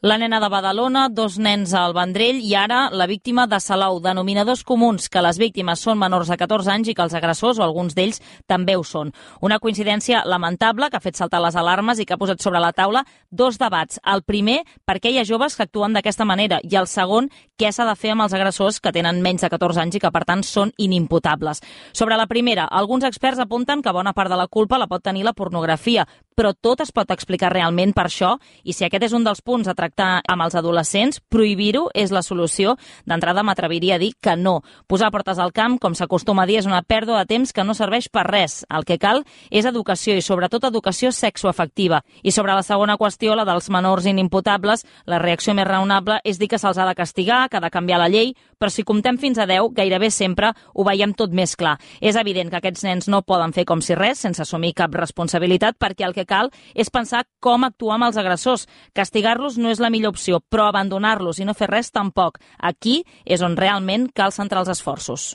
La nena de Badalona, 2 nens al Vendrell i ara la víctima de Salou. Denominadors comuns, que les víctimes són menors de 14 anys i que els agressors, o alguns d'ells, també ho són. Una coincidència lamentable que ha fet saltar les alarmes i que ha posat sobre la taula 2 debats. El primer, per què hi ha joves que actuen d'aquesta manera, i el segon, què s'ha de fer amb els agressors que tenen menys de 14 anys i que, per tant, són inimputables. Sobre la primera, alguns experts apunten que bona part de la culpa la pot tenir la pornografia, però tot es pot explicar realment per això, i si aquest és un dels punts a tractar amb els adolescents, prohibir-ho és la solució. D'entrada m'atreviria a dir que no. Posar portes al camp, com s'acostuma a dir, és una pèrdua de temps que no serveix per res. El que cal és educació i sobretot educació sexoafectiva. I sobre la segona qüestió, la dels menors inimputables, la reacció més raonable és dir que se'ls ha de castigar, que ha de canviar la llei, però si comptem fins a 10, gairebé sempre ho veiem tot més clar. És evident que aquests nens no poden fer com si res, sense assumir cap responsabilitat, perquè el que cal és pensar com actuar amb els agressors. Castigar-los no és la millor opció, però abandonar-los i no fer res tampoc. Aquí és on realment cal centrar els esforços.